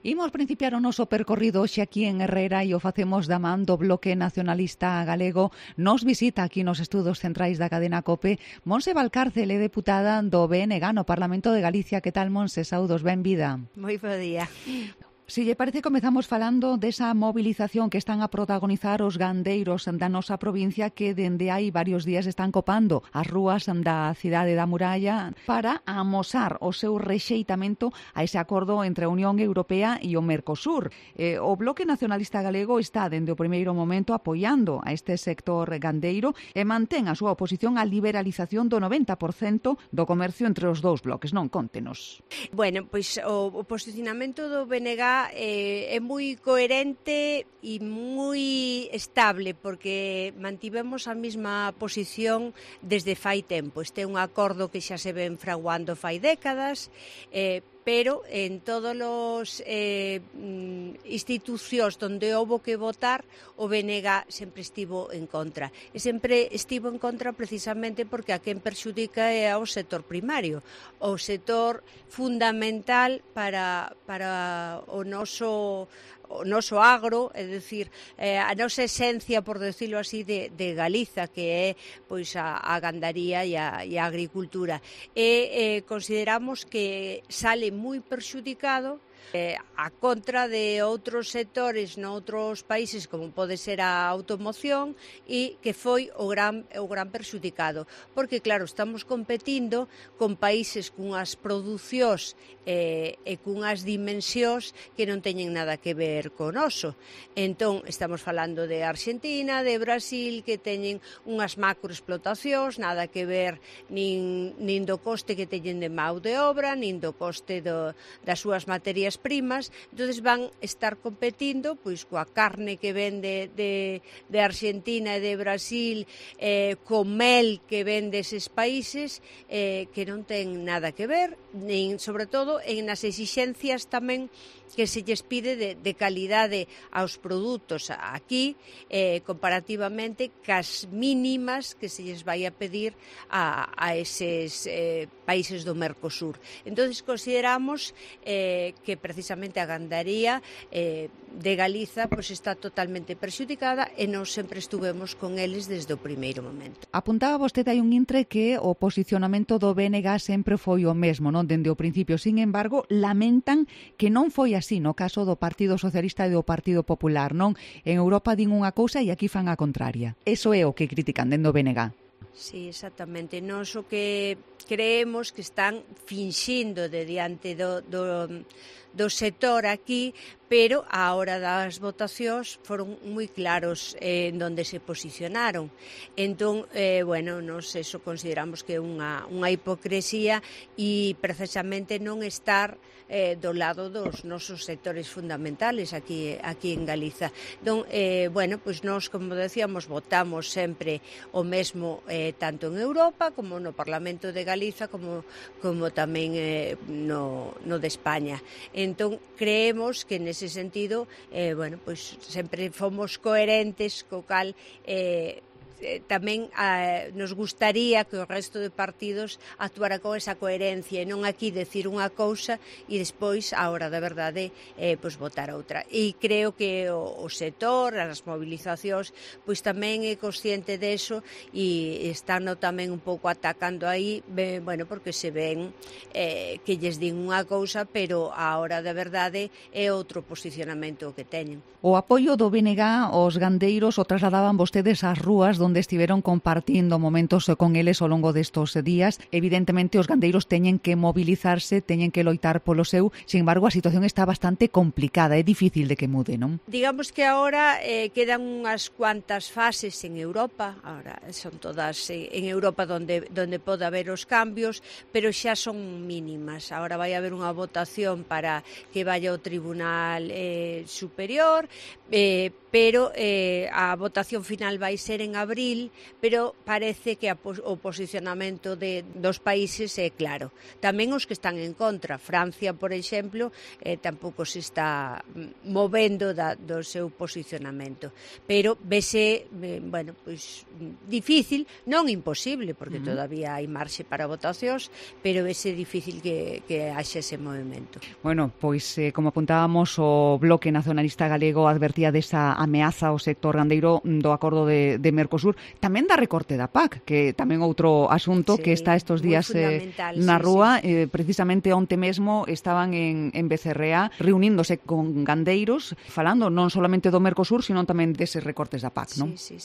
Imos principiar o noso percorrido hoxe aquí en Herrera e o facemos da man do Bloque Nacionalista Galego. Nos visita aquí nos estudos centrais da cadena COPE Montse Valcárcel, é deputada do BNG no Parlamento de Galicia. Que tal, Montse? Saúdos, benvida. Moi bo día. Si lle parece, comezamos falando desa movilización que están a protagonizar os gandeiros da nosa provincia que dende hai varios días están copando as rúas da cidade da Muralla para amosar o seu rexeitamento a ese acordo entre a Unión Europea e o Mercosur. O Bloque Nacionalista Galego está dende o primeiro momento apoiando a este sector gandeiro e mantén a súa oposición á liberalización do 90% do comercio entre os dous bloques. Non, contenos. Bueno, pois o posicionamento do BNG é moi coherente e moi estable porque mantivemos a mesma posición desde fai tempo. Este é un acordo que xa se ven fraguando fai décadas, pero en todos os institucións onde houbo que votar, o BNG sempre estivo en contra. E sempre estivo en contra precisamente porque a quen perxudica é ao sector primario, o sector fundamental para o noso agro, é dicir, a nosa esencia, por decirlo así, de Galiza, que é pois a gandaría e a agricultura. E consideramos que sale moi perxudicado a contra de outros sectores noutros países, como pode ser a automoción, e que foi o gran perxudicado. Porque, claro, estamos competindo con países cunhas producións e cunhas dimensións que non teñen nada que ver con noso. Entón, estamos falando de Argentina, de Brasil, que teñen unhas macroexplotacións, nada que ver nin do coste que teñen de mão de obra, nin do coste das súas materias primas. Entonces van estar competindo pois coa carne que vende de Argentina e de Brasil, co mel que vende eses países, que non ten nada que ver, nin, sobre todo, en as exixencias tamén que se lles pide de calidade aos produtos aquí, comparativamente cas mínimas que se lles vai a pedir a eses países do Mercosur. Entonces consideramos que precisamente a gandaría de Galiza pois está totalmente perxudicada e nós sempre estuvemos con eles desde o primeiro momento. Apuntaba vostede aí un intre que o posicionamento do BNG sempre foi o mesmo, non, dende o principio. Sin embargo, lamentan que non foi así no caso do Partido Socialista e do Partido Popular, non? En Europa din unha cousa e aquí fan a contraria. Eso é o que critican dende o BNG. Sí, exactamente. Nós o que creemos que están finxindo de diante do sector aquí, pero a hora das votacións foron moi claros en donde se posicionaron. Entón, bueno, nos eso consideramos que é unha hipocresía e precisamente non estar do lado dos nosos sectores fundamentales aquí en Galiza. Entón, bueno, pois nós, como decíamos, votamos sempre o mesmo tanto en Europa como no Parlamento de Galiza como tamén no de España. Entón, creemos que nese sentido, bueno, pois sempre fomos coherentes, co cal tamén nos gustaría que o resto de partidos actuara con esa coherencia e non aquí decir unha cousa e despois, a hora da verdade, pois votar outra. E creo que o sector, as movilizacións, pois tamén é consciente deso e están tamén un pouco atacando aí, bueno, porque se ven que lles din unha cousa, pero a hora da verdade é outro posicionamento que teñen. O apoio do BNG aos gandeiros o trasladaban vostedes ás rúas onde estiveron compartindo momentos con eles ao longo destos días. Evidentemente, os gandeiros teñen que mobilizarse, teñen que loitar polo seu. Sin embargo, a situación está bastante complicada, é difícil de que mude, non? Digamos que agora quedan unhas cuantas fases en Europa, agora son todas en Europa onde pode haber os cambios, pero xa son mínimas. Agora vai haber unha votación para que vaya ao Tribunal Superior, pero a votación final vai ser en abril abril, pero parece que o posicionamento dos países é claro. Tamén os que están en contra. Francia, por exemplo, tampouco se está movendo do seu posicionamento. Pero vese, bueno, pois difícil, non imposible, porque todavía hai marxe para votacións, pero vese difícil que haxe ese movimento. Bueno, pois como apuntábamos, o Bloque Nacionalista Galego advertía desa ameaza ao sector gandeiro do acordo de Mercosur, tamén da recorte da PAC, que tamén outro asunto que está estes días na rúa. Precisamente onte mesmo estaban en Becerrea reuníndose con gandeiros, falando non solamente do Mercosur, sino tamén deses recortes da PAC, non? Sí,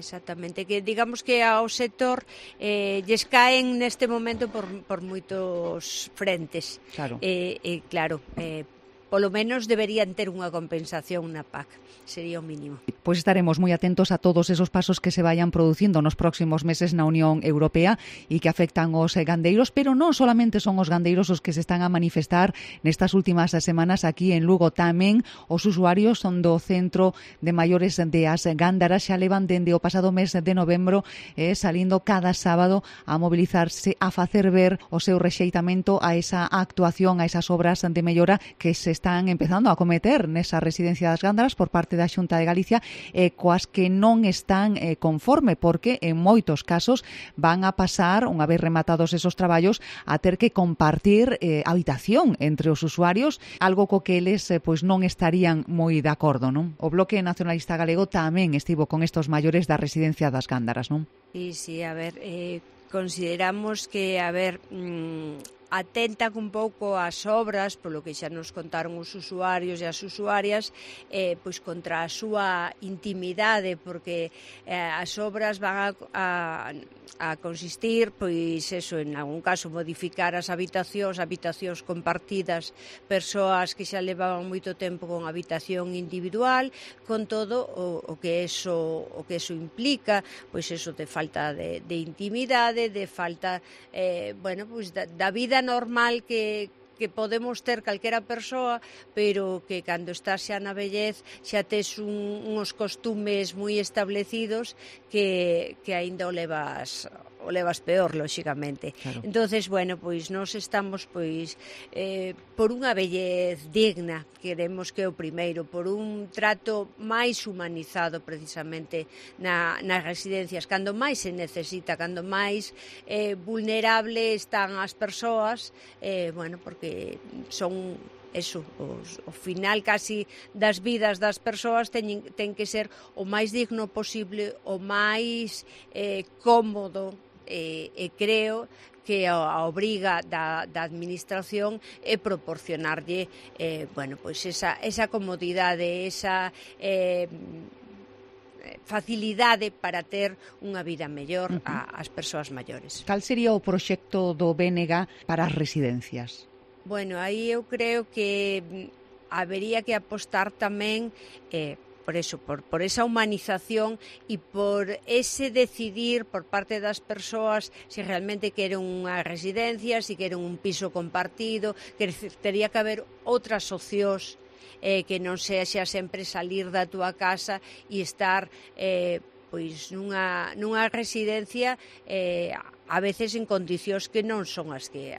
exactamente, que digamos que ao sector lles caen neste momento por moitos frentes. Claro. Claro, polo menos deberían ter unha compensación na PAC, sería o mínimo. Pois estaremos moi atentos a todos esos pasos que se vayan producindo nos próximos meses na Unión Europea e que afectan os gandeiros, pero non solamente son os gandeiros os que se están a manifestar nestas últimas semanas aquí en Lugo, tamén os usuarios son do Centro de Maiores de As Gándaras xa levan dende o pasado mes de novembro salindo cada sábado a mobilizarse, a facer ver o seu rexeitamento a esa actuación, a esas obras de mellora que se están empezando a cometer nesa residencia das Gándaras por parte da Xunta de Galicia, coas que non están conforme, porque en moitos casos van a pasar, unha vez rematados esos traballos, a ter que compartir habitación entre os usuarios, algo co que eles pois non estarían moi de acordo, non? O Bloque Nacionalista Galego tamén estivo con estos maiores da residencia das Gándaras, non? Sí, a ver, consideramos que, atentan un pouco ás obras, polo que xa nos contaron os usuarios e as usuarias, pois contra a súa intimidade, porque as obras van a consistir, pois eso, en algún caso modificar as habitacións compartidas, persoas que xa levaban moito tempo con habitación individual, con todo o que eso implica, pois eso de falta de intimidade, de falta, bueno, pois da vida normal que podemos ter calquera persoa, pero que cando estás xa na vellez xa tes uns costumes moi establecidos que aínda o levas peor, lóxicamente. Claro. Entonces, bueno, pois nós estamos por unha vellez digna, queremos que o primeiro, por un trato máis humanizado precisamente nas residencias, cando máis se necesita, cando máis vulnerable están as persoas, bueno, porque son eso, o final casi das vidas das persoas ten que ser o máis digno posible, o máis cómodo, e creo que a obriga da administración é proporcionarlle bueno, pois esa comodidade, esa facilidade para ter unha vida mellor ás persoas maiores. Cal sería o proxecto do BNG para as residencias? Bueno, aí eu creo que habería que apostar tamén por eso, por esa humanización e por ese decidir por parte das persoas se realmente queren unha residencia, se queren un piso compartido, que tería que haber outras opcións que non sexa sempre salir da túa casa e estar pois nunha residencia a veces en condicións que non son as que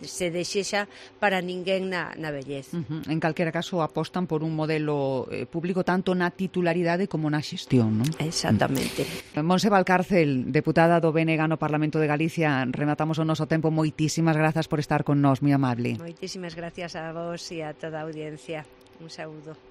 se desexa para ninguén na vellez. En calquera caso apostan por un modelo público tanto na titularidade como na xestión, non? Exactamente. Montse Valcárcel, deputada do BNG no Parlamento de Galicia, rematamos o noso tempo. Moitísimas grazas por estar con nós, moi amable. Moitísimas gracias a vos e a toda a audiencia. Un saúdo.